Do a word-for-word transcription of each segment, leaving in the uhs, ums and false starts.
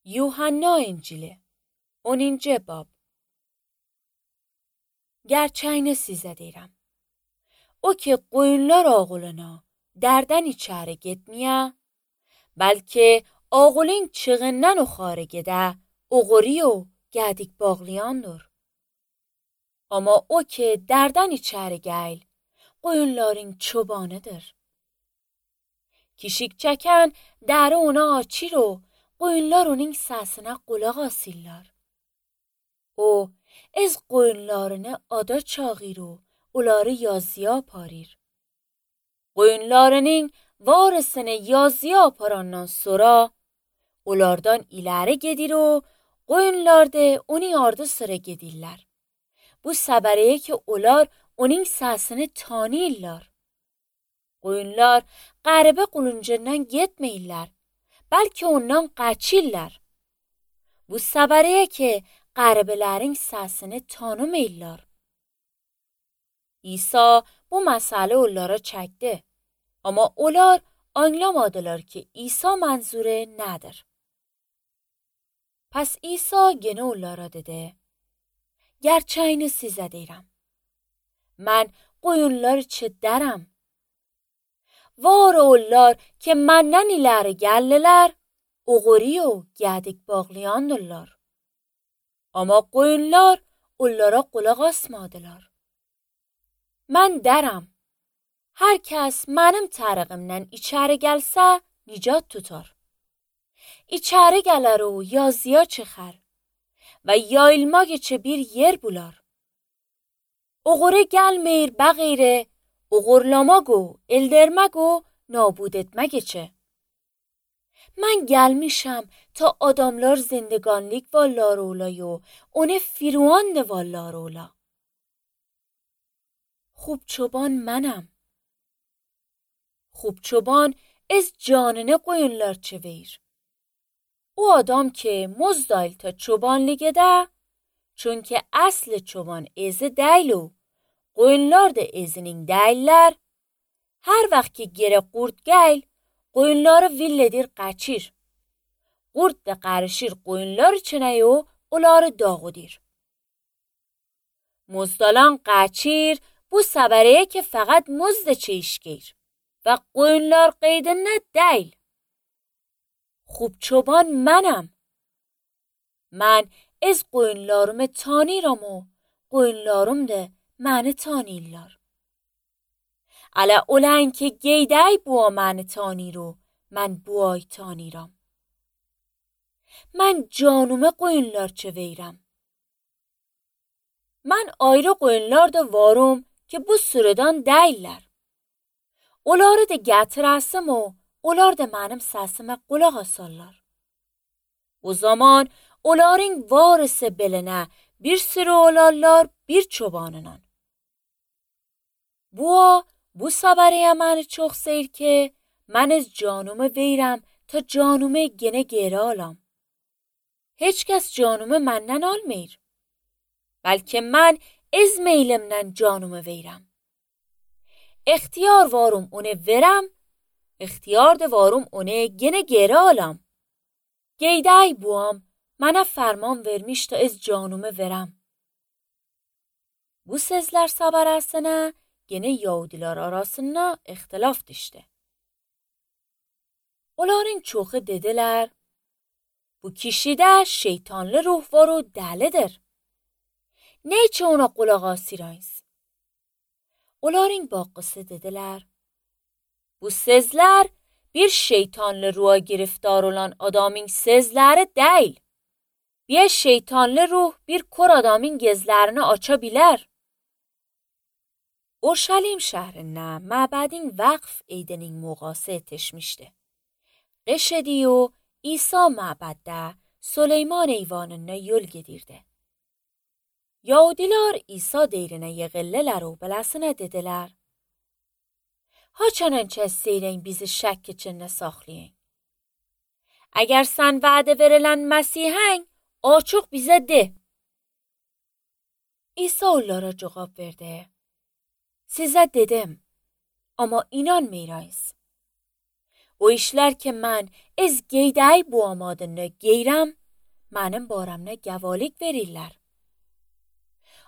Yuhanna İncili onuncu bab. Gerçeğini size deyirəm. O ki qoyunlar oğluna dərdən içəri getməyə, bəlkə oğlun çığından uxarı gedə, oğuri o gədik bağlayandır. Amma o ki dərdən içəri gəl, qoyunların çobanıdır. Kişik çəkən dəri ona açır o, qoyunlar onun səsinə qulaq asırlar. O, ez qoyunlarını ada çağır o, onları yazıya aparır. Qoyunlarının varisini yazıya aparandan sonra, onlardan ileri gedir o, qoyunlar da onun ardı sıra gedirlər. Bu səbəriyə ki, onlar onun səsini tanıyırlar. Qoyunlar qəribə quluncundan getməyirlər, bəlkə ondan qaçırlar. Bu səbəriyə ki, qəribələrin səsini tanımırlar. İsa bu məsələ onlara çəkdi, amma onlar anlamadılar ki, İsa mənzuru nədir. Pəs İsa yenə onlara dedi, gerçeğini sizə deyirəm. Mən qoyunlar üçün dərəm. Var onlar ki, məndən iləri gəllilər, oğuri o gədik bağlayandırlar. Amma qoyunlar onlara qulaq asmadılar. Mən dərəm. Hər kəs mənim tərəqimdən içəri gəlsə, nicat tutar. İçəri gələr o yazıya çıxar və yayılmaq üçün bir yer bular. Oğuri gəlmir bəğeyri, oğurlamaq o, eldirmək o, nabud etmək üçün. Mən gəlmişəm ta adamlar zindگانlik vallar olayı و onu firuand vallar ola. خوب çoban mənəm. خوب çoban ez canını qoyunlar çevir. O adam ki muzdayl ta çobanlık ede, çünkü aslı çoban ezi deyl o, qoyunlar da ezinin deyller, her vaxt ki gere qurd gel, qoyunları villedir qaçır. Qurd da qarışır qoyunlar içine o, onları dağıdır. Muzdalan qaçır, bu səbəriyə ki fəqət muzda çeşgir və qoyunlar qeydinə deyl. خوب çoban mənəm. Mən ez qoyunlarımı tanıyıram o, qoyunlarım da məni tanıyırlar. Ələ olan ki geydəy bua məni tanıyır o, mən buay tanıyıram. Mən canımı qoyunlar çevirəm. Mən ayrı qoyunlar da varım ki bu sürüdən deyirlər. Onları da gətirəsim o, onlar da mənim səsimə qulaq asarlar. O zaman onların varisi belinə bir sürü olarlar bir çobanla. Bu, bu səbəriyə məni çox seyir ki, mən ez canımı verirəm ta canımı genə geri alam. Heç kəs canımı məndən almır. Bəlkə mən ez meylimdən canımı verirəm. İxtiyar varım onu verəm, İxtiyar da varım onu genə geri alam. Geydəy buam, mənə fərman vermiş ta ez canımı verəm. Bu sözlər səbərəsinə genə Yahudiler arasında ixtilaf düşdü. Onların çoxu dedilər, bu kişidə şeytanlı ruh var o dəlidir. Ne için ona qulaq asırayız? Onların bakısı dediler, bu sözlər bir şeytanlı ruha giriftar olan adamın sözləri deyil. Bir şeytanlı ruh bir kor adamın gözlərini aça bilər. Urşalim şəhərində məbədin vəqf eydinin moğası etişmişdi. Qış idi o İsa məbəddə Süleyman eyvanına yol gedirdi. Yahudiler İsa deyrinə yığıldılar o beləsinə dedilər, haçanın kəs seyrən bizi şək içində saxlayın. Əgər sən vədə verilən Məsihən, açıq bizə de. İsa onlara cavab verdi, sizə dedim, amma inanmayırsınız. o işler ki men ez geyday bu amadını geyrem, benim baramına gavalik verirler.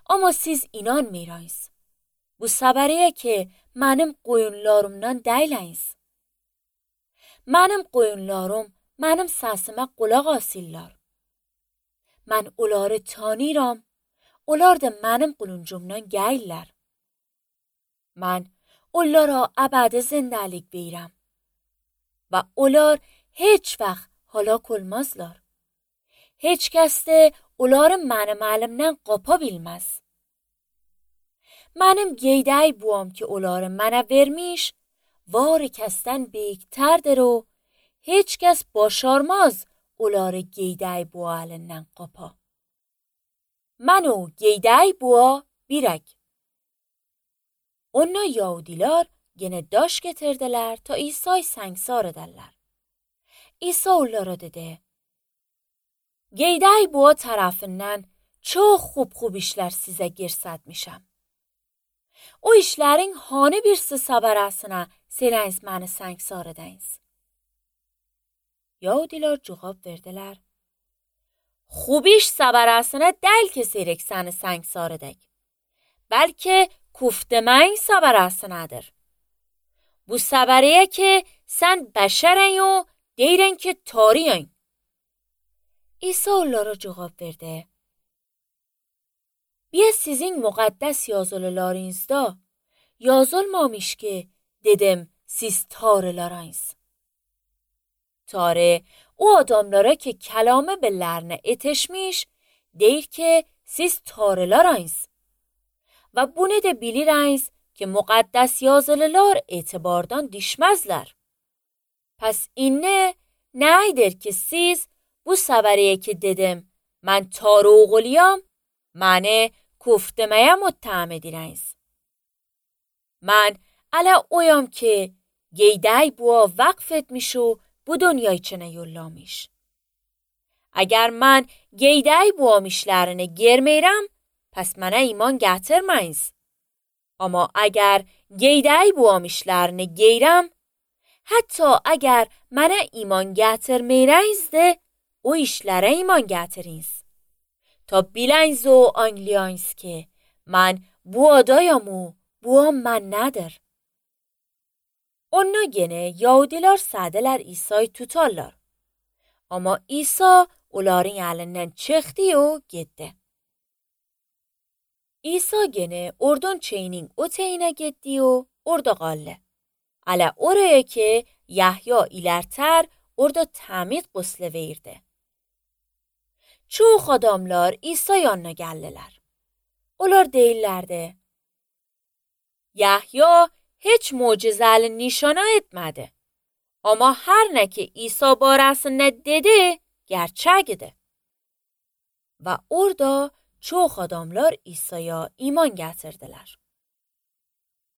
Ama siz inanmırsınız. Bu sabariye ki benim koyunlarımdan değiliz. Benim koyunlarım benim sesime kulak asırlar. Ben onları tanıram, onlar da benim kuluncumdan gelirler. Ben onlara ebedi zindelik verirəm ve onlar hiç vaxt halak olmazlar. Hiç kəs də onları mənim əlimdən qapa bilməz. Mənim geyday buam ki onları mənə vermiş, var kəsdən beyikterdir o, hiç kəs başarmaz onları geyday bu əlindən qapa. Mən o geyday bua birək. Onlar Yahudiler gene daş getirdiler ta İsa'yı sengsar ederler. İsa onlara dedi: Geyday bua tarafından çok خوب خوب işler size göstermişəm. O işlerin hanı birisi sabarasına seniz məni sengsar edəyiz. Yahudiler cevap verdiler: خوب iş sabarasına del ki seyrek səni sengsar edək. Belki کوفتمین sabarasınadır. Bu sabariye ki sen beşeren و دیرن که تاریین. İsa onlara cevap verdi: Bia sizin muqaddes yazılılarınızda yazılmamış ki dedim siz tarılarayız. Tarı o adamlara ki kelamı bellerine etişmiş deyir ki siz tarılarayız. Ve bunu da biliriz ki muqaddes yazılılar etibardan düşmezler. Pes inne neydir ki siz bu sabariye ki dedim من تار و oğluyam məni کوفتمeye متهم ediniz. من الا oyam ki geyday bua vakf etmiş و bu dünya içine yollamış. Eğer mən geyday buam işlerini germeyrem pes mənə iman gətirməyiz. Ama eğer geyday buam işlerini geyrem, hatta eğer mənə iman gətirməyiniz de o işlere iman gətiriniz. Ta biliniz o anlayınız ki mən bu adayam و bu am mən nədir. Onlar gene Yahudiler sədeler İsa'yı tutarlar. Ama İsa onların elinden çıktı و gitti. İsa gene oradan çeyinin o teyine gitti و orada qaldı. Ala oraya ki Yahya ilerter orada təmid quslu verdi. Çox adamlar İsa yanına geldiler. Onlar deyirlerdi: Yahya hiç mucizeli nişana etmedi. Ama her ne ki İsa barəsində dedi gerçekdi. Ve orada çox adamlar İsa'ya iman gətirdiler.